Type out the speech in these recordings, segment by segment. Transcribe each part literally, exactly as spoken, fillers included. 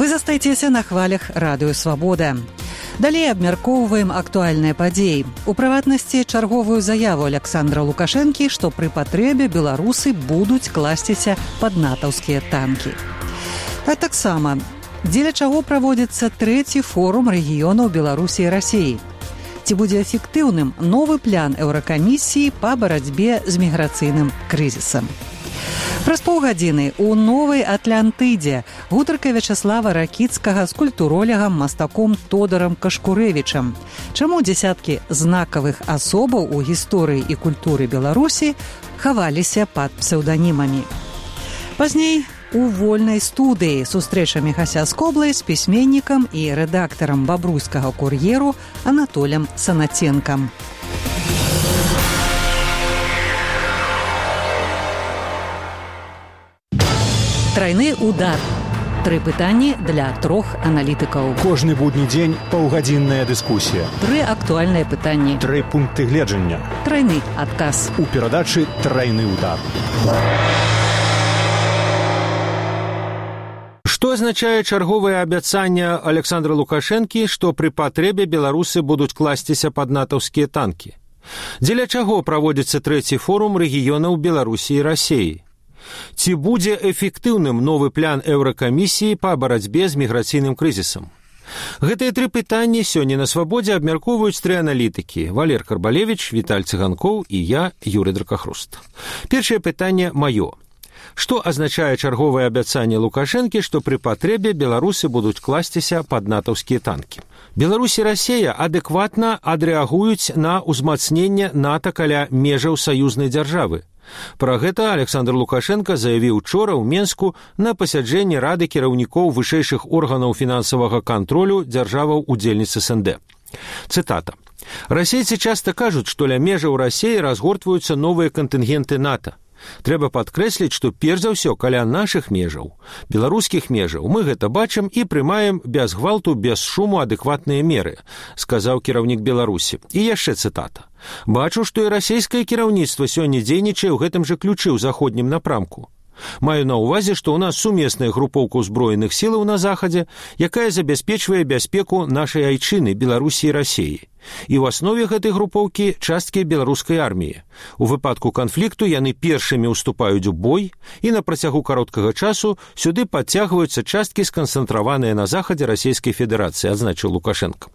Вы застаецеся на хвалях радыё «Свабода». Далей абмяркоўваем актуальныя падзеі. У прыватнасці чарговую заяву Александра Лукашэнкі, што пры патрэбе беларусы будуць класціся пад натаўскія танкі. А таксама, дзеля чаго праводзіцца трэці форум рэгіёнаў Беларусі і Расіі. Ці будзе эфектыўным новы план Еўракамісіі па барацьбе з міграцыйным крызісам. Праз паўгадзіны ў новай Атлантыдзе гутарка Вячаслава Ракіцкага з культуролегам мастаком Тодарам Кашкурэвічам. Чаму дзесяткі знакавых асобаў у гісторыі і культуры Беларусі хаваліся пад псеўданімамі. Пазней у вольнай студыі сустрэча Міхася Скоблай з пісьменнікам і рэдактарам бабруйскага кур'еру Анатолем Санаценкам. Трайны удар. Тры пытанні для трох аналітыкаў. Кожны будні дзень паўгадзінная дыскусія. Тры актуальныя пытанні. Тры пункты гледжання. Трайны адказ. У перадачы «Трайны удар». Што азначае чарговае абяцанне Александра Лукашэнкі, што пры патрэбе беларусы будуць класціся пад натаўскія танкі? Дзеля чаго праводзіцца трэці форум рэгіёнаў Беларусі і Расіі? Ці будзе эфектыўным новы план Еўракамісіі па барацьбе з міграцыйным крызісам? Гэтыя тры пытанні сёння на «Свабодзе» абмяркоўваюць тры аналітыкі: Валер Карбалевіч, Віталь Цыганкоў і я, Юрый Дракахруст. Першае пытанне маё. Што азначае чарговае абяцанне Лукашэнкі, што пры патрэбе беларусы будуць класціся пад натаўскія танкі? Беларусь і Расія адэкватна адрэагуюць на ўзмацненне НАТО каля межаў саюзнай дзяржавы. Пра гэта Александр Лукашенко заявіў учора ў Менску на пасяджэнні Рады кіраўнікоў вышэйшых органаў фінансавага кантролю дзяржаваў-удзельніц эс эн дэ. Цытата. «Расейцы часта кажуць, што ля межаў Расіі разгортваюцца новыя кантынгенты НАТО. Трэба падкрэсліць, што перш за ўсё каля нашых межаў, беларускіх межаў, мы гэта бачым і прымаем без гвалту, без шуму адэкватныя меры», сказаў кіраўнік Беларусі. І яшчэ цытата. «Бачу, што і расійскае кіраўніцтва сёння дзейнічае ў гэтым жа ключы ў заходнім напрамку. Маю на ўвазе, што ў нас сумесная групоўка ўзброеных сілаў на захадзе, якая забяспечвае бяспеку нашай айчыны, Беларусі і Расіі. І ў аснове гэтай групоўкі часткі беларускай арміі. У выпадку канфлікту яны першымі ўступаюць у бой, і на працягу кароткага часу сюды падцягваюцца часткі, сканцэнтраваныя на захадзе Расійскай Федэрацыі», адзначыў Лукашенко.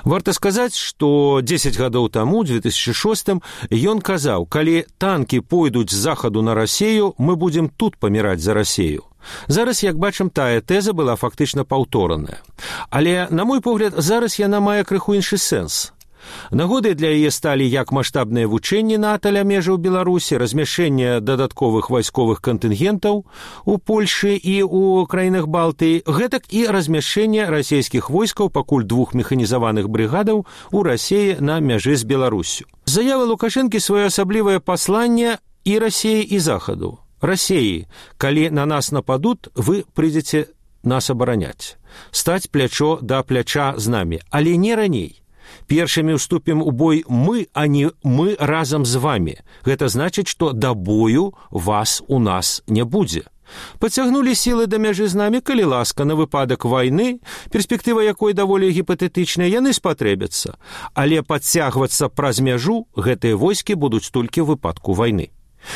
Варта сказаць, што дзесяць гадоў таму, у две тысячы шостым, ён казаў: «Калі танкі пойдуць з захаду на Расію, мы будзем тут паміраць за Расію». Зараз, як бачым, тая тэза была фактычна паўтораная. Але, на мой погляд, зараз яна мае крыху іншы сэнс. Нагодай для яе сталі як маштабныя вучэнні НАТО ля межаў Беларусі, размяшчэнне дадатковых вайсковых кантынгентаў у Польшы і ў краінах Балтыі, гэтак і размяшчэнне расійскіх войскаў пакуль двух механізаваных брыгадаў у Расіі на мяжы з Беларусю. Заява Лукашэнкі своеасаблівае пасланне і Расіі, і Захаду. Расіі, калі на нас нападут, вы прыйдзеце нас абараняць. Стаць плячо да пляча з намі, але не раней. Першымі ўступім у бой мы, а не мы разам з вамі. Гэта значыць, што да бою вас у нас не будзе. Пацягнулі сілы да мяжы з намі, калі ласка, на выпадак вайны, перспектыва якой даволі гіпатэтычная, яны спатрэбяцца. Але падцягвацца праз мяжу гэтыя войскі будуць толькі ў выпадку вайны.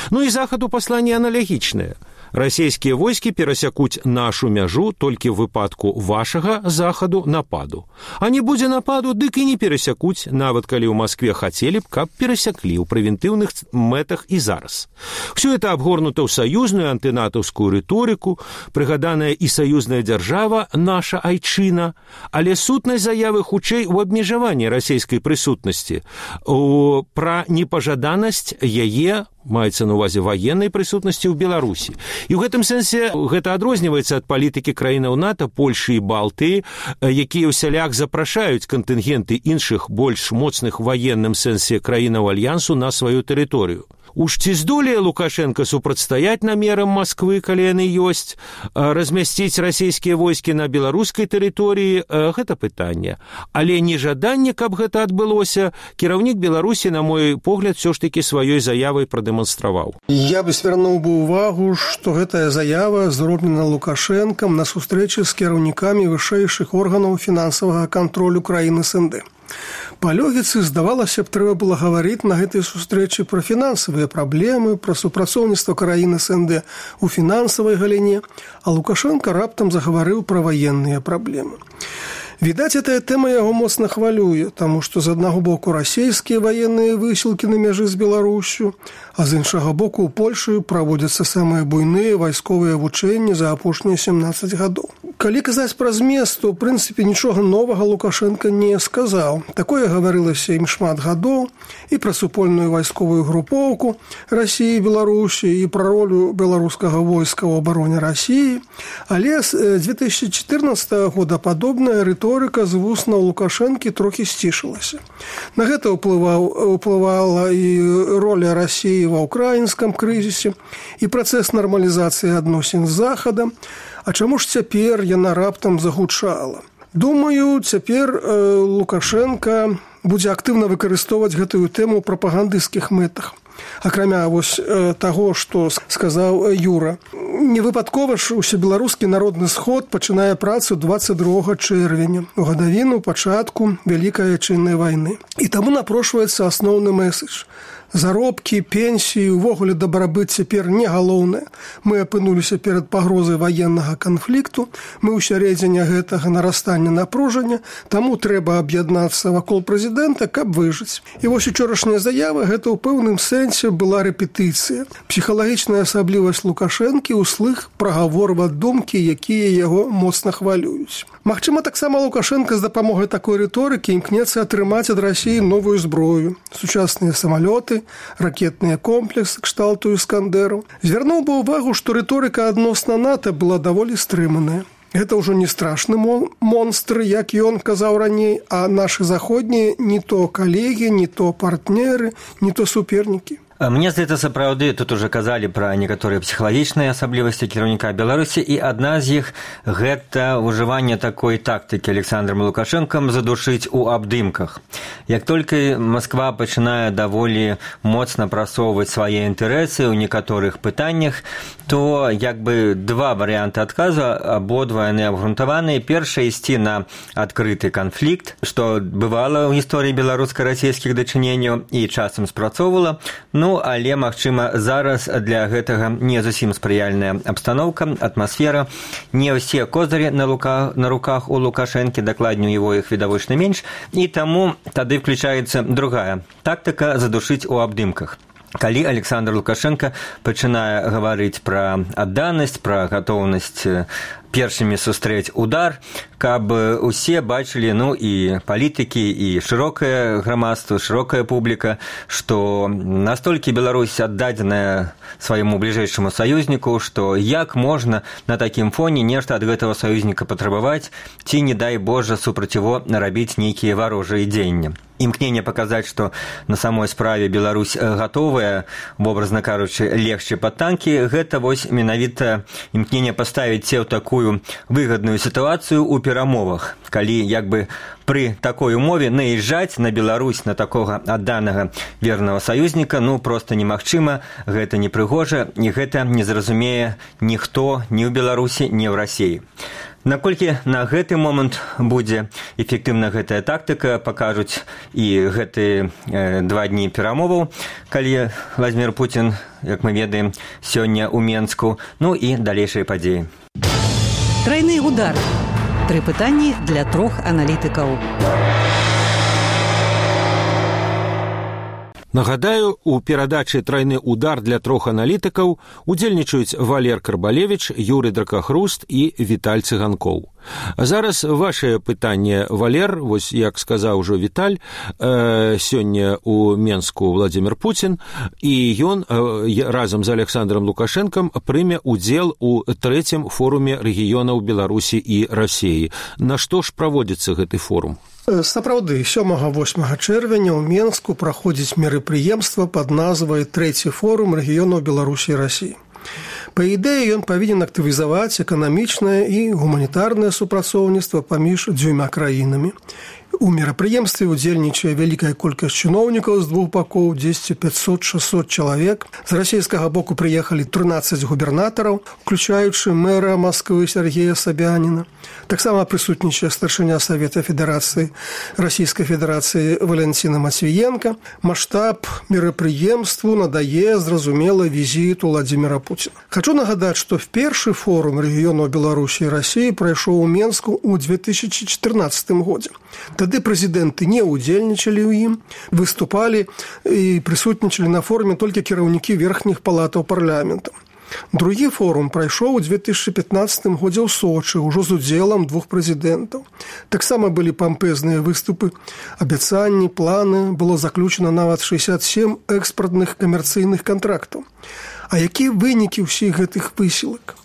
Ну і захаду пасланне аналагічнае. Расійскія войскі перасякуць нашу мяжу толькі ў выпадку вашага захаду нападу. А не будзе нападу, дык і не перасякуць, нават калі ў Маскве хацелі б, каб перасяклі ў прэвентыўных мэтах і зараз. Всё это абгорнута ў саюзную антынатаўскую рыторыку, прыгаданая і саюзная дзяржава, наша айчына, але сутнасць заявы хутчэй у абмежаванні расійскай прысутнасці, у пра непажаданасць яе, маецца на ўвазе ваеннай прысутнасці ў Беларусі. І ў гэтым сэнсе гэта адрозніваецца ад палітыкі краінаў НАТО, Польшы і Балтыі, якія ўсяляк запрашаюць кантынгенты іншых больш моцных у ваенным сэнсе краінаў альянсу на сваю тэрыторыю. Уж ці здолее Лукашенко супрацьстаяць намерам Москвы, калі яны ёсць, размясціць расійскія войскі на беларускай тэрыторыі, гэта пытанне. Але нежаданне, каб гэта адбылося, кіраўнік Беларусі, на мой погляд, все ж таки сваёй заявай прадэманстраваў. Я бы звярнуў бы ўвагу, што гэтая заява зроблена Лукашэнкам на сустрэчы з кіраўнікамі вышэйшых органаў фінансавага кантролю краін эс эн дэ. Па логіцы, здавалася б, трэба было гаварыць на гэтай сустрэчы пра фінансавыя праблемы, пра супрацоўніцтва краін эс эн дэ ў фінансавай галіне, а Лукашенко раптам загаварыў пра ваенныя праблемы. Відаць, гэтая тэма яго моцна хвалюе, таму што з аднаго боку расійскія ваенныя высілкі на мяжы з Беларусю, а з іншага боку ў Польшы праводзяцца самыя буйныя вайсковыя вучэнні за апошнія сямнаццаць гадоў. Калі казаць пра змест, то, ў прынцыпе, нічога новага Лукашенко не сказаў. Такое гаварылася ім шмат гадоў, і пра супольную вайсковую групоўку Расіі і Беларусі, і пра ролю беларускага войска ў абароне Расіі. Але з дзве тысячы чатырнаццатага года падобная рыторыка з вуснаў Лукашэнкі трохі сцішылася. На гэта ўплываў, ўплывала і роля Расіі ва ўкраінскім крызісе, і працэс нармалізацыі адносін з Захадам. А чаму ж цяпер яна раптам загучала? Думаю, цяпер э, Лукашенко будзе актыўна выкарыстоўваць гэтую тэму ў прапагандысцкіх мэтах. Акрамя вось э, таго, што сказаў Юра. Невыпадкова ж усебеларускі народны сход пачынае працу дваццаць другога чэрвеня, у гадавіну пачатку Вялікай Айчыннай вайны. І таму напрошваецца асноўны мэсэдж. Заробкі, пенсіі, увогуле дабрабыт цяпер не галоўнае. Мы апынуліся перад пагрозай ваеннага канфлікту, мы ў сярэдзіне гэтага нарастання напружання, таму трэба аб'яднацца вакол прэзідэнта, каб выжыць. І вось учорашняя заява гэта ў пэўным сэнсе была рэпетыцыя. Псіхалагічная асаблівасць Лукашэнкі ўслых прагаворваць думкі, якія яго моцна хвалююць. Магчыма, таксама Лукашенко з дапамогай такой рыторыкі імкнецца атрымаць ад Расіі новую зброю, сучасныя самалёты, ракетныя комплексы кшталту Іскандэру. Звярнуў бы ўвагу, што рыторыка адносна НАТО была даволі стрыманая. Гэта ўжо не страшны монстр, як ён казаў раней, а нашы заходнія не то калегі, не то партнеры, не то супернікі. Мне здаецца, сапраўды, тут уже казалі пра некаторыя псіхалагічныя асаблівасці кіраўніка Беларусі, і адна з іх – гэта ўжыванне такой тактыкі Александром Лукашэнкам задушыць у абдымках. Як толькі Москва пачынае даволі моцна прасоўваць свае інтарэсы ў некаторых пытаннях, то як бы два варыянты адказу, абодва яны абгрунтаваныя. Першае – ісці на адкрыты канфлікт, што бывала ў гісторыі беларуска-расійскіх дачыненняў і часам спрацоўвала. Ну, але, магчыма, зараз для гэтага не зусім спрыяльная абстаноўка, атмасфера. Не ўсе козырі на, лука, на руках у Лукашэнкі, дакладней у яго іх відавочна менш, і таму тады включаецца другая тактыка задушыць у абдымках. Калі Александр Лукашенко пачынае гаварыць пра адданасць, пра гатоўнасць першымі сустрэць удар, каб усе бачылі, ну, і палітыкі, і шырокае грамадства, шырокая публіка, што настолькі Беларусь аддадзеная свайму бліжэйшаму саюзніку, што як можна на такім фоне нешта ад гэтага саюзніка патрабаваць, ці, не дай Божа, супраць яго нарабіць нейкія варожыя дзеянні. Імкненне паказаць, што на самой справе Беларусь гатовая, вобразна кажучы, легчы пад танкі, гэта вось менавіта імкненне паставіць се ў такую выгадную сітуацыю ў перамовах, калі як бы пры такой умове наязджаць на Беларусь, на такога адданага вернага саюзніка, ну, проста немагчыма, гэта непрыгожа, і гэта не зразумее ніхто ні ў Беларусі, ні ў Расіі. Наколькі на гэты момант будзе эфектыўна гэтая тактыка, пакажуць і гэтыя э, два дні перамоваў, калі Владзімір Пуцін, як мы ведаем, сёння ў Менску, ну і далейшыя падзеі. Трайны удар. Тры пытанні для трох аналітыкаў. Нагадаю, у перадачы «Трайны удар» для трох аналітыкаў удзельнічаюць Валер Карбалевіч, Юрый Дракахруст і Віталь Цыганкоў. А зараз ваше пытанне, Валер, вось як сказаў ужо Віталь, э, сёння у Менску Владзімір Пуцін, і ён э, разам з Александром Лукашенком прыме удзел у трэцім форуме рэгіёнаў Беларусі і Расіі. На што ж праводзіцца гэты форум? Сапраўды, сёмага-восьмага чэрвеня ў Менску праходзіць мерапрыемства пад назвай трэці форум рэгіёнаў Беларусі і Расіі. Па ідэі, ён павінен актывізаваць эканамічнае і гуманітарнае супрацоўніцтва паміж дзвюма краінамі. У мерапрыемстве удзельнічае вялікая колькасць чыноўнікаў з двух бакоў, дзесьці пяцьсот-шэсцьсот чалавек. З расійскага боку прыехалі трынаццаць губернатараў, уключаючы мэра Масквы Сергея Сабяніна. Таксама прысутнічае старшыня Савета Федэрацыі Расійскай Федэрацыі Валянціна Мацвіенка. Маштаб мерапрыемству надае, зразумела, візіт Владзіміра Пуціна. Хачу нагадаць, што в першы форум рэгіёнаў Беларусі і Расіі прайшоў у Менску ў две тысячы чатырнаццатым годзе. Тады прэзідэнты не ўдзельнічалі ў ім, выступалі і прысутнічалі на форуме толькі кіраўнікі верхніх палатаў парламента. Другі форум прайшоў у две тысячы пятнаццатым годзе ў Сочы, ужо з удзелам двух прэзідэнтаў. Таксама былі пампезныя выступы, абяцанні, планы, было заключана нават шэсцьдзесят сем экспартных камерцыйных кантрактаў. А якія вынікі ўсіх гэтых высілак?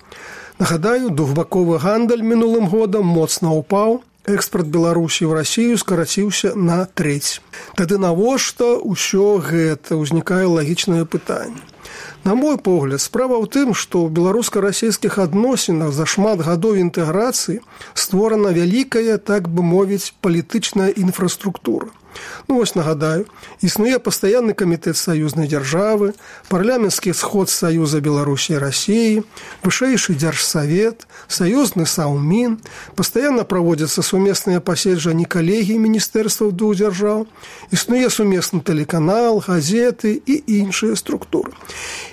Нагадаю, двухбаковы гандаль мінулым годам моцна ўпаў, экспорт Беларусі ў Расію скараціўся на трэць. Тады навошта ўсё гэта? Узнікае лагічнае пытанне. На мой погляд, справа ў тым, што ў беларуска-расійскіх адносінах за шмат гадоў інтэграцыі створана вялікая, так бы мовіць, палітычная інфраструктура. Ну вось нагадаю, існуе пастаянны камітэт саюзнай дзяржавы, парламенtsкі сход Саюза Беларусі і Расіі, вышэйшы дзяржсавет, саюзны саўмін, пастаянна праводзяцца сумесныя паседжанні калегій міністэрстваў двух дзяржаў, існуе сумесны тэлеканал, газеты і іншыя структуры.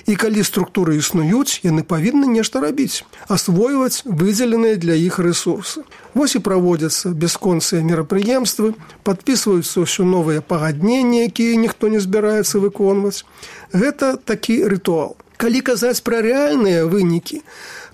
І калі структуры існуюць, яны павінны нешта рабіць, асвойваць выдзеленыя для іх рэсурсы. Вось і праводзяцца бясконцыя мерапрыемствы, падпісваюцца ўсё новыя пагадненні, якія ніхто не збіраецца выконваць. Гэта такі рытуал. Калі казаць пра рэальныя вынікі,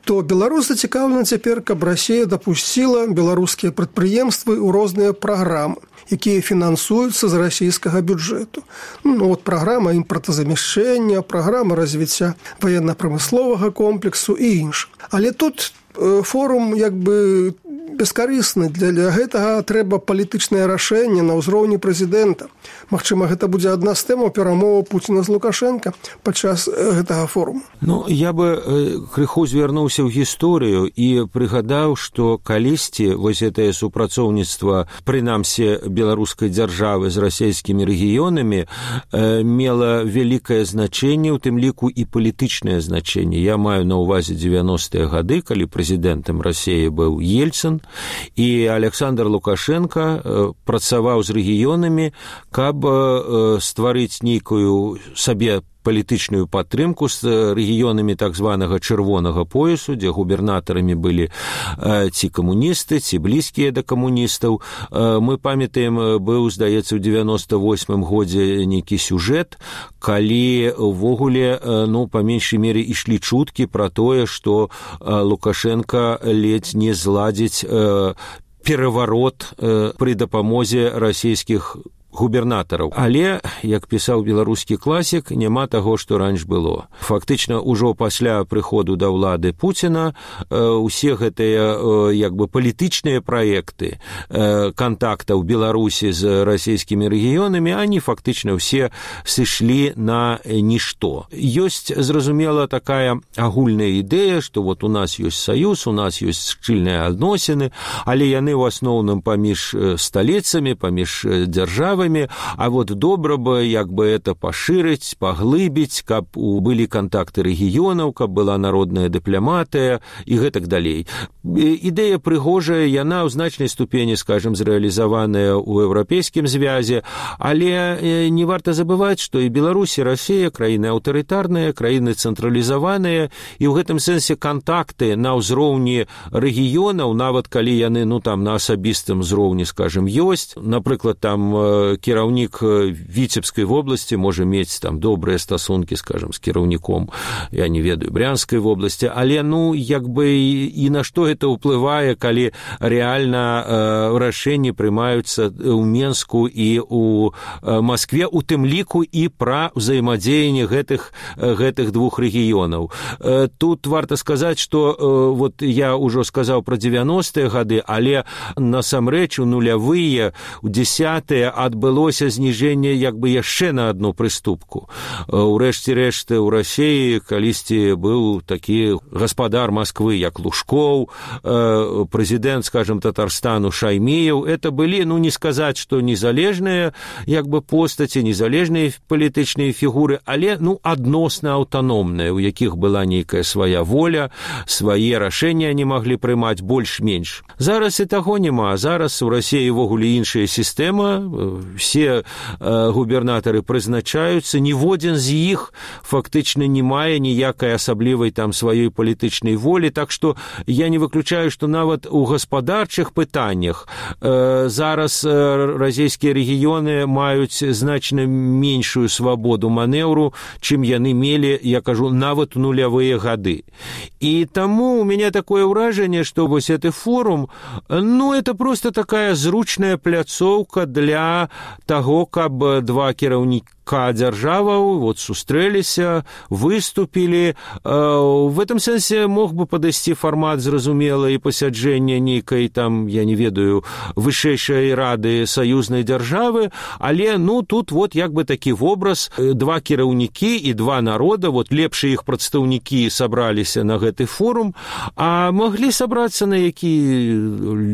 то Беларусь зацікаўлена цяпер, каб Расія дапусціла беларускія прадпрыемствы ў розныя праграмы, якія фінансуюцца з расійскага бюджэту. Ну, от праграма імпартазамяшчэння, праграма развіцця ваенна-прамысловага комплексу і іншых. Але тут форум як бы бескарысны. Для, для гэтага трэба палітычнае рашэнне на ўзроўні прэзідэнта. Магчыма, гэта будзе адна з тэмаў перамоваў Пуціна з Лукашенка падчас гэтага форуму. Ну, я бы крыху звярнуўся ў гісторыю і прыгадаў, што калісьці вось гэтае супрацоўніцтва, прынамсі беларускай дзяржавы з расійскімі рэгіёнамі, мела вялікае значэнне, у тым ліку і палітычнае значэнне. Я маю на ўвазе дзевяностыя гады, калі прэзідэнтам Расіі быў Ельцын, і Александр Лукашенко працаваў з рэгіёнамі, каб стварыць нейкую сабе палітычную падтрымку з рэгіёнамі так званага чырвонага поясу, дзе губернатарамі былі ці камуністы, ці блізкія да камуністаў. Мы памятаем, быў, здаецца, у дзевяноста восьмым годзе нейкі сюжэт, калі ўвогуле, ну, па меншай мере ішлі чуткі пра тое, што Лукашенко ледзь не зладзіць пераварот пры дапамозе расійскіх губернатараў. Але, як пісаў беларускі класік, няма таго, што раньш было. Фактычна, ужо пасля прыходу да ўлады Пуціна усе гэтыя як бы палітычныя праекты кантактаў Беларусі з расійскімі рэгіёнамі, они фактычна ўсе сышлі на нішто. Ёсць, зразумела, такая агульная ідэя, што вот у нас ёсць саюз, у нас ёсць шчыльныя адносіны, але яны ў асноўным паміж сталіцамі, паміж дзяржавамі, а вот добра бы як бы это пашырыць, паглыбіць, каб былі кантакты рэгіёнаў, каб была народная дыпламатыя і гэтак далей. Ідэя прыгожая, яна ў значнай ступені, скажем, зрэалізаваная ў еўрапейскім звязе, але не варта забываць, што і Беларусь, і Расія краіны аўтарытарныя, краіны цэнтралізаваныя, і ў гэтым сэнсе кантакты на ўзроўні рэгіёнаў, нават калі яны, ну там на асабістым узроўні, скажем, ёсць, напрыклад, там кіраўнік Віцебскай вобласці можа мець там добрыя стасункі, скажам, з кіраўніком, я не ведаю, Брянскай вобласці, але, ну, як бы і на што гэта ўплывае, калі рэальна рашэнні прымаюцца ў Менску і ў Маскве, у тым ліку і пра ўзаемадзеянне гэтых, гэтых двух рэгіёнаў. Тут варта сказаць, што вот я ўжо сказаў пра дзевяностыя гады, але насамрэч у нулявыя, у дзесятыя адбылося зніжэнне як бы яшчэ на адну прыступку. Урэшце рэшты ў Расіі калісьці быў такі гаспадар Масквы, як Лужкоў, прэзідэнт, скажем, Татарстану Шаймеев. Это былі, ну, не сказаць, што незалежныя як бы постаці, незалежныя палітычныя фігуры, але, ну, адносна аўтаномныя, у якіх была нейкая свая воля, свае рашэнні не маглі прымаць больш-менш. Зараз і таго няма. Зараз у Расіі ўвогуле іншая сістэма, все губернатары прызначаюцца, ніводзін з іх фактычна не мае ніякай асаблівай там сваёй палітычнай волі, так што я не выключаю, што нават у гаспадарчых пытаннях зараз расійскія рэгіёны маюць значна меншую свабоду манеўру, чым яны мелі, я кажу, нават у нулявыя гады. І таму у меня такое ўражанне, што вось гэты форум, ну, это просто такая зручная пляцоўка для таго, каб два кіраўніка дзяржаваў вот сустрэліся, выступілі. В этом сэнсе мог бы падысці фармат зразумела і пасяджэння нейкай там, я не ведаю, вышэйшай рады саюзнай дзяржавы, але, ну, тут вот як бы такі вобраз, два кіраўнікі і два народа, вот лепшыя іх прадстаўнікі сабраліся на гэты форум, а маглі сабрацца на які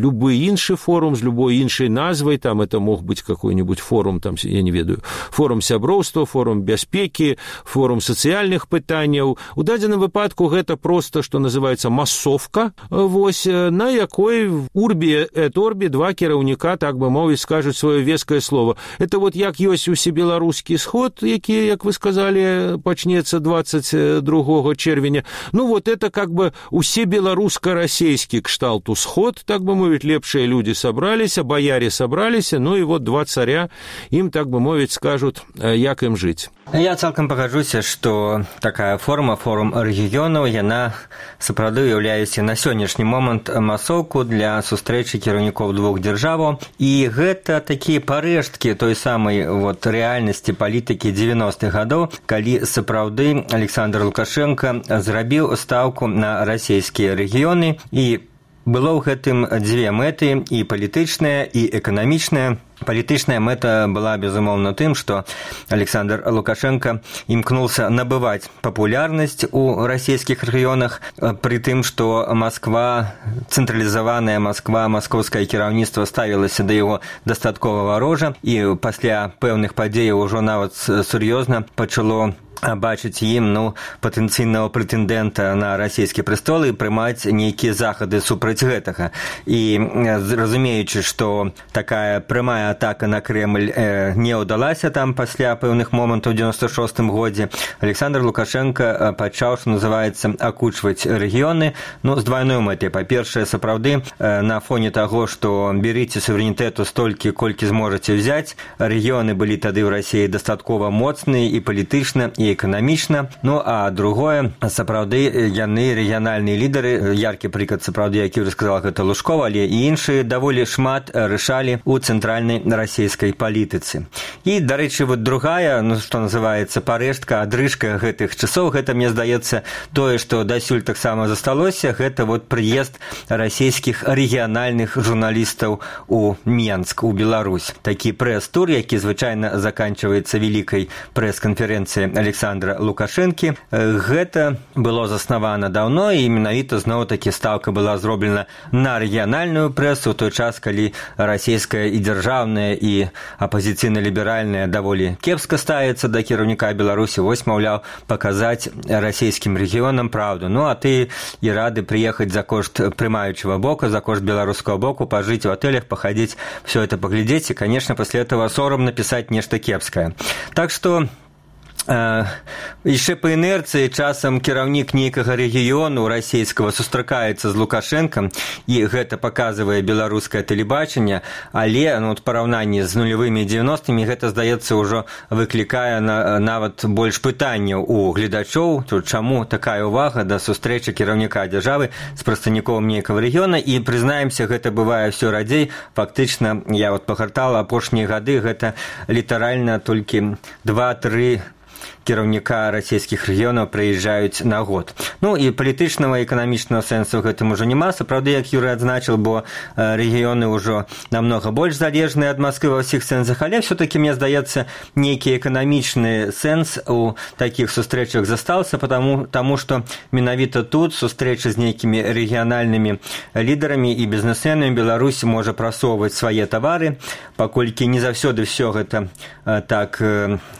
любы іншы форум з любой іншай назвай, там это мог быць какой-нибудь форум, там, я не ведаю, форум сяброўства, форум бяспекі, форум сацыяльных пытанняў. У дадзеным выпадку гэта просто, што называецца, масовка, вось, на якой урбі эт орбі два кіраўніка, так бы мовіць, скажуць сваё вескае слово. Это вот як ёсць усебеларускі сход, які, як вы сказали, пачнецца двадцать другого чэрвеня. Ну вот это как бы усебеларуска-расейскі кшталту сход, так бы мовіць, лепшыя людзі сабраліся, баяре сабраліся, ну і вот два царя ім, так бы мовіць, скажут, як ім жыць. Я цалкам пагаджуся, што такая форма, форум рэгіёнаў, яна сапраўды ўяўляецца на сённяшні момант масоўку для сустрэчы кіраўнікоў двух дзяржаваў. І гэта такія парэшткі той самай вот рэальнасці палітыкі дзевяностых гадоў, калі сапраўды Александр Лукашенко зрабіў стаўку на расійскія рэгіёны, і было ў гэтым дзве мэты, і палітычная, і эканамічная. Палітычная мэта была, безумоўна, тым, што Александр Лукашенко імкнуўся набываць папулярнасць у расійскіх рэгіёнах, пры тым, што Масква, цэнтралізаваная Масква, маскоўскае кіраўніцтва ставілася да яго дастаткова варожа, і пасля пэўных падзеяў ужо нават сур'ёзна пачало бачыць ім, ну, патэнцыйнага прэтэндэнта на расійскі прэстол і прымаць нейкія захады супраць гэтага. І разумеючы, што такая прямая атака на Кремль э, не ўдалася там пасля пэўных момантаў у дзевяносто шостым годзе, Александр Лукашенко пачаў, што называецца, акучваць рэгіёны, ну, з двайной мэтай. Па-першае, сапраўды, э, на фоне таго, што берыце суверэнітэту столькі, колькі зможаце ўзяць, рэгіёны былі тады ў Расіі дастаткова моцныя і палітычна, і эканамічна. Ну, а другое, сапраўды, яны рэгіянальныя лідары, яркі прыклад, сапраўды, які уже сказал, гэта Лужков, але і іншыя даволі шмат рашалі ў цэнтральнай расійскай палітыцы. І, дарэчы, вот другая, ну, што называецца, парэштка, адрыжка гэтых часоў, гэта, мне здаецца, тое, што дасюль таксама засталося, гэта вот прыезд расійскіх рэгіянальных журналістаў у Менск, у Беларусь. Такі прэс-тур, які звычайна заканчваецца вялікай прэс-канферэнцыяй Александра Лукашэнкі. Гэта было заснавана даўно, і менавіта зноў-такі стаўка была зроблена на рэгіянальную прэсу, у той час, калі расійская і дзяржаўная, і апазіцыйна-ліберальная даволі кепска ставіцца да кіраўніка Беларусі. Вось, маўляў, паказаць расійскім рэгіёнам праўду. Ну, а ты і рады прыехаць за кошт прымаючага боку, за кошт беларускага боку, пажыць у отелях, пахадзіць, все это паглядзець, і, конечно, пасля этого сорам напісаць нешта кепскае. Так што яшчэ па інерцыі часам кіраўнік нейкага рэгіёну расійскага сустракаецца з Лукашэнкам, і гэта паказвае беларускае тэлебачанне, але ну, в параўнанні з нулявымі дзевяностымі гэта, здаецца, ўжо выклікае на, нават больш пытанняў у гледачоў, тут чаму такая ўвага да сустрэчы кіраўніка дзяржавы з прадстаўніком нейкага рэгіёна, і прызнаемся, гэта бывае ўсё радзей. Фактычна, я вот пагартала апошнія гады, гэта літаральна толькі два-тры кіраўніка расійскіх рэгіёнаў прыязджаюць на год. Ну і палітычнага і эканамічнага сэнсу гэтым ужо няма. Сапраўды, як Юрый адзначыў, бо рэгіёны ўжо намнога больш залежныя ад Масквы ва ўсіх сэнсах, але все-таки, мне здаецца, нейкі эканамічны сэнс у такіх сустрэчах застаўся, потому, тому што менавіта тут сустрэчы з нейкімі рэгіянальнымі лідарамі і бізнесменамі Беларусь можа прасоўваць свае тавары, паколькі не заўсёды все гэта так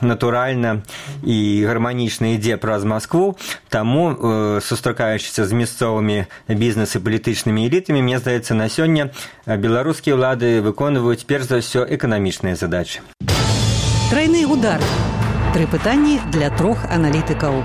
натуральна і гарманічна ідзе праз Маскву, таму, э, сустракаючыся з мясцовымі бізнес і палітычнымі элітамі, мне здаецца, на сёння беларускія ўлады выконваюць перш за ўсё эканамічныя задачы. Трайны удар. Тры пытанні для трох аналітыкаў.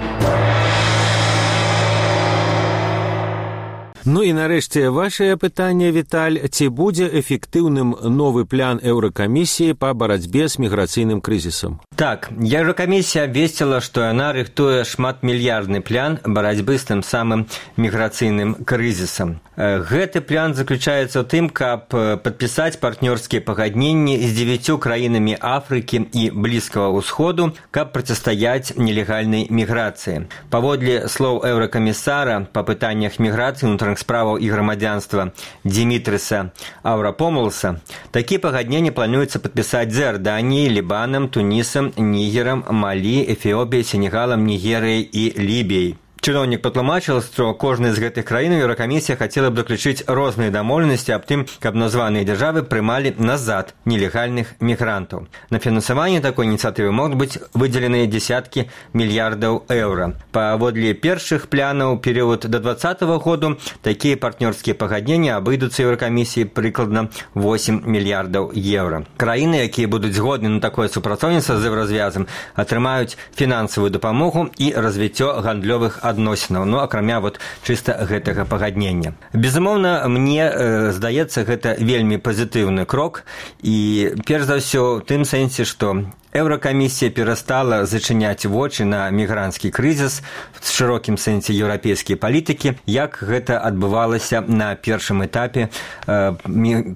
Ну і нарэшце вашае пытанне, Віталь, ці будзе эфектыўным новы план Еўракамісіі па барацьбе з міграцыйным крызісам? Так, Еўракамісія абвесціла, што яна рыхтуе шматмільярдны план барацьбы з тым самым міграцыйным крызісам. Гэты план заключаецца ў тым, каб падпісаць партнёрскія пагадненні з дзевяццю краінамі Афрыкі і Блізкага ўсходу, каб процістаяць нелегальнай міграцыі. Паводле слоў еўракамісара па пытаннях міграцыі, унутраных справаў і грамадзянства Димитріса Аврапомулса, такія пагадненні плануецца падпісаць з Іорданіяй, Лібанам, Тунісам, Нігерам, Малі, Эфіопіяй, Сенегалам, Нігерыяй і Лібіяй. Чыноўнік патлумачыў, што кожная з гэтых краінаў Еўракамісія хацела б заключыць розныя дамоўленасці аб тым, каб названыя дзяржавы прымалі назад нелегальных мігрантаў. На фінансаванне такой ініцыятывы могуць быць выдзеленыя дзесяткі мільярдаў еўра. Паводле першых планаў перыяд да двадцатага году такія партнёрскія пагадненні абыдуцца Еўракамісіі прыкладна восем мільярдаў еўра. Краіны, якія будуць згодны на такое супрацоўніцтва з еўразвязам, атрымаюць фінансавую дапамогу і развіццё гандлёвых адносінаў. адносінаў, ну, акрамя вот чыста гэтага пагаднення. Безумоўна, мне э, здаецца, гэта вельмі пазітыўны крок, і перш за ўсё ў тым сэнсе, што Еўракамісія перастала зачыняць вочы на мігранцкі крызіс в шырокім сэнсе еўрапейскай палітыкі, як гэта адбывалася на першым этапе э,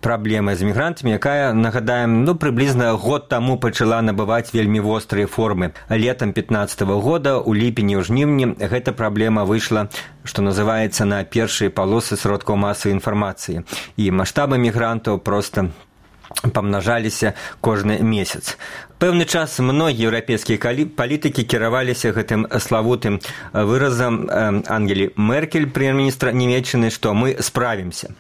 праблемы з мігрантамі, якая, нагадаем, ну, прыблізна год таму пачала набываць вельмі вострыя формы. Летам пятнаццатага года, у ліпені, у жніўні, гэта праблема выйшла, што называецца, на першыя палосы сродкаў масавай інфармацыі. І маштабы мігрантаў проста памнажаліся кожны месяц. Пэўны час многія еўрапейскія палітыкі кіраваліся гэтым славутым выразам Ангелі Меркель, прэм'ер-міністра Нямецчыны, што мы справімся.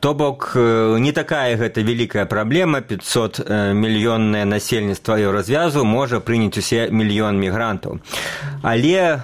То бок, не такая гэта вялікая праблема, пятьсот мільённае насельніцтва еўразвязу можа прыняць усе мільён мігрантаў. Але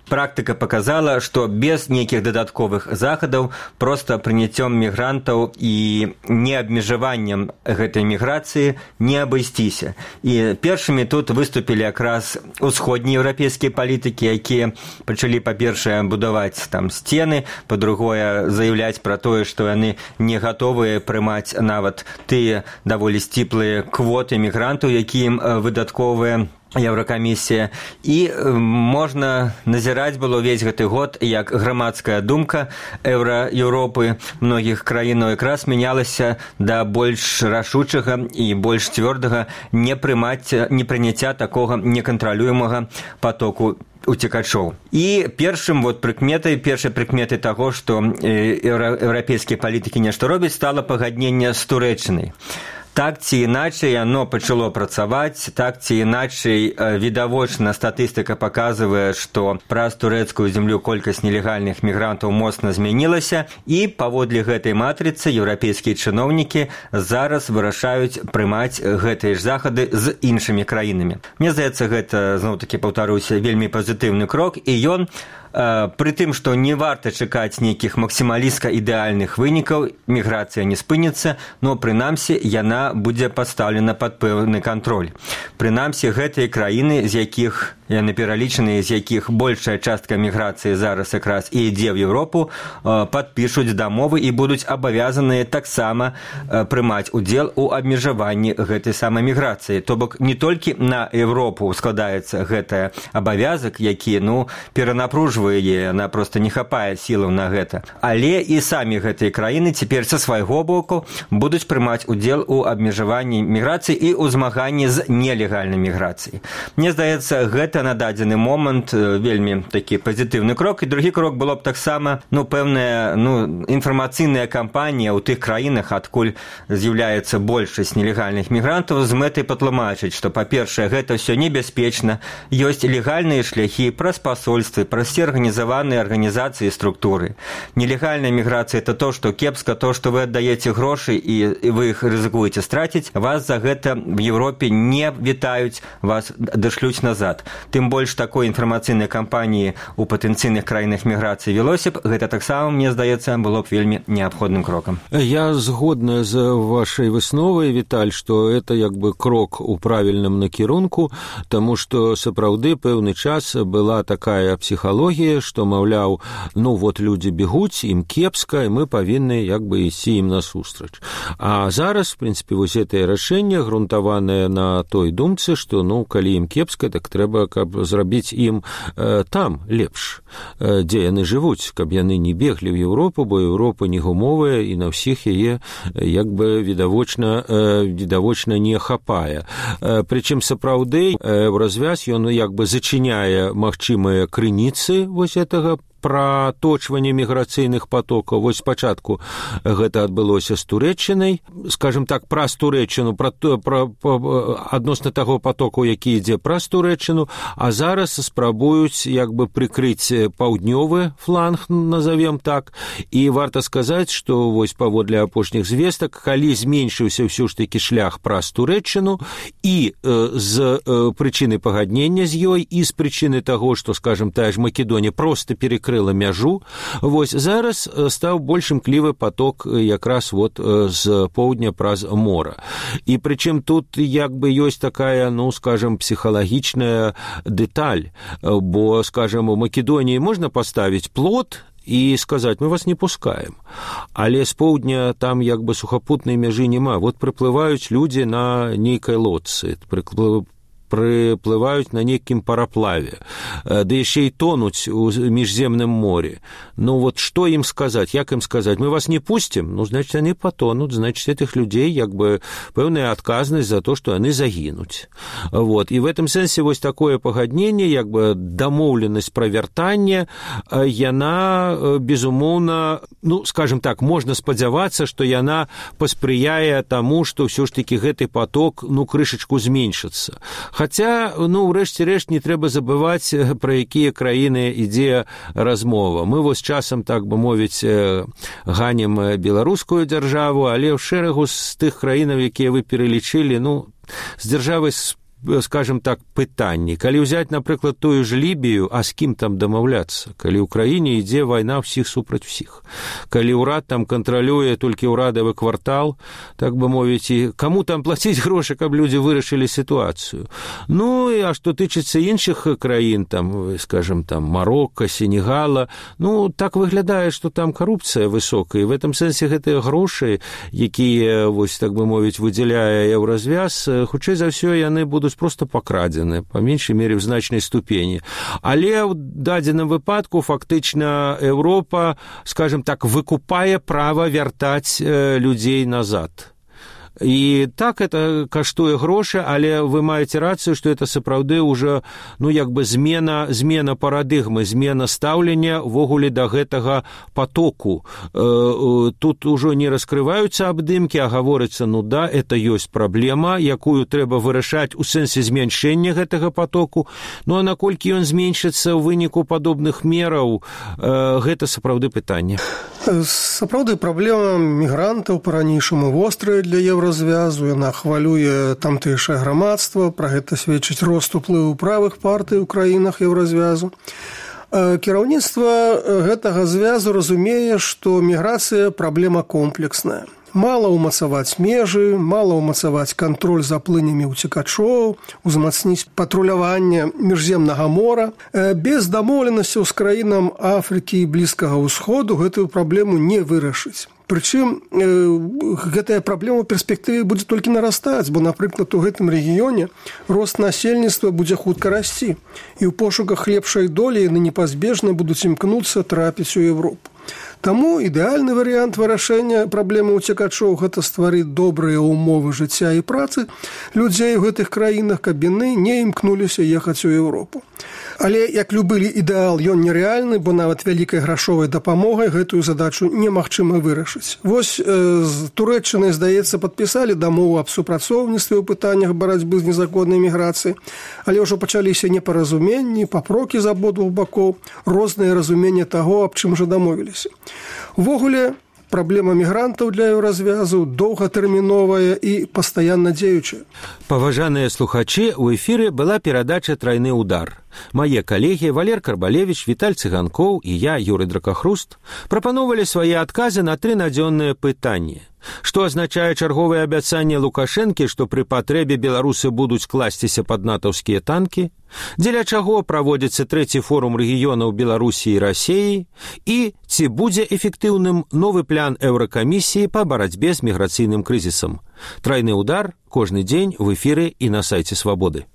практыка показала, што без нейкіх дадатковых захадаў, проста прыняццём мігрантаў і неабмежаваннем гэтай міграцыі не абысціся. І першымі тут выступілі якраз усходнія еўрапейскія палітыкі, якія пачалі, па-першае, будаваць там сцены, па-другое, заяўляць пра тое, што яны не гатовыя прымаць нават тыя даволі сціплыя квоты мігрантаў, якія ім выдатковыя Еўракамісія. І можна назіраць было ўвесь гэты год, як грамадская думка Еўра-Еўропы многіх краінаў якраз мянялася да больш рашучага і больш цвёрдага непрыняцця такога некантралюемага потоку уцекачоў. І першым вот прыкметай, першай прыкметай таго, што еўрапейскія палітыкі нешта робяць, стала пагадненне з Турэччынай. Так ці іначай яно пачало працаваць, так ці іначай відавочна статыстыка паказвае, што праз турэцкую зямлю колькасць нелегальных мігрантаў моцна змянілася, і паводле гэтай матрыцы еўрапейскія чыноўнікі зараз вырашаюць прымаць гэтыя ж захады з іншымі краінамі. Мне здаецца, гэта, зноў-такі паўтаруся, вельмі пазітыўны крок, і ён пры тым, што не варта чакаць нейкіх максімалістка ідэальных вынікаў, міграцыя не спыніцца, но прынамсі яна будзе пастаўлена пад пэўны кантроль. Прынамсі гэтыя краіны, з якіх яны пералічаны, з якіх большая частка міграцыі зараз якраз і ідзе ў Еўропу, падпішуць дамовы і будуць абавязаныя таксама прымаць удзел у абмежаванні гэтай самай міграцыі. То бок не толькі на Еўропу складаецца гэты абавязак, які, ну, перанапружвае яе, она просто не хапае сілаў на гэта. Але і самі гэтыя краіны цяпер са свайго боку будуць прымаць удзел у абмежаванні міграцыі і ў змаганні з нелегальнай міграцыяй. Мне здаецца, гэта на дадзены момант вельмі такі пазітыўны крок. І другі крок было б таксама, ну, пэўная, ну, інфармацыйная кампанія ў тых краінах, адкуль з'яўляецца большасць нелегальных мігрантаў, з мэтай патлумачыць, што, па-першае, гэта ўсё небяспечна, ёсць легальныя шляхі праз пасольствы, праз все арганізаваныя арганізацыі і структуры. Нелегальная міграцыя – это то, што кепска, то, што вы аддаеце грошы і вы іх рызыкуеце страціць, вас за гэта в Еўропе не вітаюць, вас дашлюць назад. Тым больш такой інфармацыйнай кампаніі ў патэнцыйных краінах міграцыі велося б, гэта таксама, мне здаецца, было б вельмі неабходным крокам. Я згодна з вашай высновай, Віталь, што это як бы крок у правільным накірунку, таму што сапраўды пэўны час была такая псіхалогія, што, маўляў, ну вот людзі бегуць, ім кепска, і мы павінны як бы ісці ім насустрач. А зараз, в прынцыпе, вось гэтае рашэнне грунтаванае на той думцы, што, ну, калі ім кепска, так трэба, каб зрабіць ім э, там лепш, э, дзе яны жывуць, каб яны не беглі ў Еўропу, бо Еўропа не гумовая і на ўсіх яе як бы відавочна, э, відавочна не хапае. Э, прычым сапраўды э, развяз ён як бы зачыняе магчымыя крыніцы вось гэтага проточвання міграцыйных потокаў. Вось спачатку гэта адбылося з Турэччынай, скажем так, праз Турэччыну, пра, пра, пра, адносна таго потоку, які ідзе праз Турэччыну, а зараз спрабуюць як бы прыкрыць паўднёвы фланг, назовем так, і варта сказаць, што вось паводле апошніх звестак, калі зменшыўся ўсё ж такі шлях праз Турэччыну і э, з э, прычыны пагаднення з ёй, і з прычыны таго, што, скажем, тая ж Македонія проста перекрыла мяжу, вось зараз стаў больш імклівы поток якраз вот з поўдня праз мора. І прычым тут як бы ёсць такая, ну, скажем, псіхалагічная дэталь, бо, скажем, у Македоніі можна паставіць плот і сказаць, мы вас не пускаем. Але з поўдня там як бы сухапутнай мяжы няма. Вот прыплываюць людзі на нейкай лодцы, прыплываюць прыплываюць на нейкім параплаве, да яшчэ і тонуць у міжземным морі. Ну вот што ім сказаць, як ім сказаць? Мы вас не пусцім? Ну, значит, яны патонуць, значит, этих людей як бы пэўная адказнасць за то, што яны загінуць. Вот. І в этом сэнсе вось такое пагадненне, як бы дамоўленасць пра вяртанне, яна, безумоўна, ну, скажем так, можна спадзявацца, што яна паспрыяе таму, што ўсё ж такі гэты поток, ну, крышачку зменшыцца. Хаця, ну, ўрэшце рэшт не трэба забываць, пра якія краіны ідзе размова. Мы вось часам, так бы мовіць, ганім беларускую дзяржаву, але ў шэрагу з тых краінаў, якія вы пералічылі, ну, з дзяржавай, скажем так, пытанні. Калі ўзяць, напрыклад, тую ж Лібію, а з кім там дамаўляцца? Калі ў краіне ідзе вайна ўсіх супраць усіх. Калі ўрад там кантралюе толькі ўрадавы квартал, так бы мовіць, і каму там плаціць грошы, каб людзі вырашылі сітуацыю? Ну, а што тычыцца іншых краін, там, скажем, там, Марокко, Сенегала, ну, так выглядае, што там карупцыя высокая. І в этом сэнсе гэтыя грошы, якія, вось, так бы мовіць, выдзяляе еўразвяз, хутчэй за ўсё яны будуць просто пакрадзены, па меншай мере, в значнай ступені. Але ў дадзеным выпадку фактычна Еўропа, скажем так, выкупае права вяртаць э, людзей назад. І так это каштуе грошы, але вы маеце рацыю, што это сапраўды ўжо, ну, як бы змена, змена парадыгмы, змена стаўлення ввогуле да гэтага потоку. Тут ужо не раскрываюцца абдымкі, а гаворыцца, ну да, это ёсць праблема, якую трэба вырашаць у сэнсе змяншэння гэтага потоку. Ну, а наколькі ён зменшыцца ў выніку падобных мераў, гэта сапраўды пытанне. Сапраўды праблема мігрантаў па-ранейшаму вострая для еўразвязу, яна хвалюе тамтэйшае грамадства, пра гэта сведчыць рост уплыву правых партый у краінах еўразвязу. Кіраўніцтва гэтага звязу разумее, што міграцыя праблема комплексная. Мала ўмацаваць межы, мала ўмацаваць кантроль за плынямі ўцекачоў, узмацніць патруляванне міжземнага мора. Без дамоўленасцяў з краінам Афрыкі і Блізкага ўсходу гэтую праблему не вырашыць. Прычым гэтая праблема ў перспектыве будзе толькі нарастаць, бо, напрыклад, у гэтым рэгіёне рост насельніцтва будзе хутка расці, і ў пошуках лепшай долі яны непазбежна будуць імкнуцца трапіць у Еўропу. Таму ідэальны варыянт вырашэння праблемы ўцекачоў – гэта стварыць добрыя ўмовы жыцця і працы людзей у гэтых краінах, каб яны не імкнуліся ехаць у Еўропу. Але, як любы ідэал, ён нерэальны, бо нават вялікай грашовай дапамогай гэтую задачу немагчыма вырашыць. Вось э, з Турэччынай, здаецца, падпісалі дамову аб супрацоўніцтве ў пытаннях барацьбы з незаконнай міграцыяй, але ўжо пачаліся непаразуменні, папрокі з абодвух бакоў, розныя разуменні таго, аб чым жа дамовіліся. Увогуле, праблема мігрантаў для еўразвязу доўгатэрміновая і пастаянна дзеючая. Паважаныя слухачы, у эфіры была перадача «Трайны удар». Мае калегі Валер Карбалевіч, Віталь Цыганкоў і я, Юрый Дракахруст, прапановалі свае адказы на тры надзённыя пытанні. Што азначае чарговае абяцанне Лукашэнкі, што пры патрэбе беларусы будуць класціся пад натаўскія танкі? Дзеля чаго праводзіцца трэці форум рэгіёнаў Беларусі і Расіі? І ці будзе эфектыўным новы план Еўракамісіі па барацьбе з міграцыйным крызісам? Трайны удар кожны дзень в эфіры і на сайце Свабоды.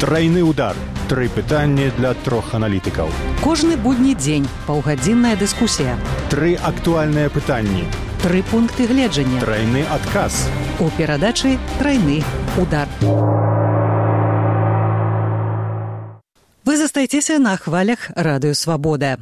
Трайны удар. Тры пытанні для трох аналітыкаў. Кожны будні дзень паўгадзінная дыскусія. Тры актуальныя пытанні. Тры пункты гледжання. Трайны адказ. У перадачы «Трайны удар». Вы застаецеся на хвалях радыё Свабода.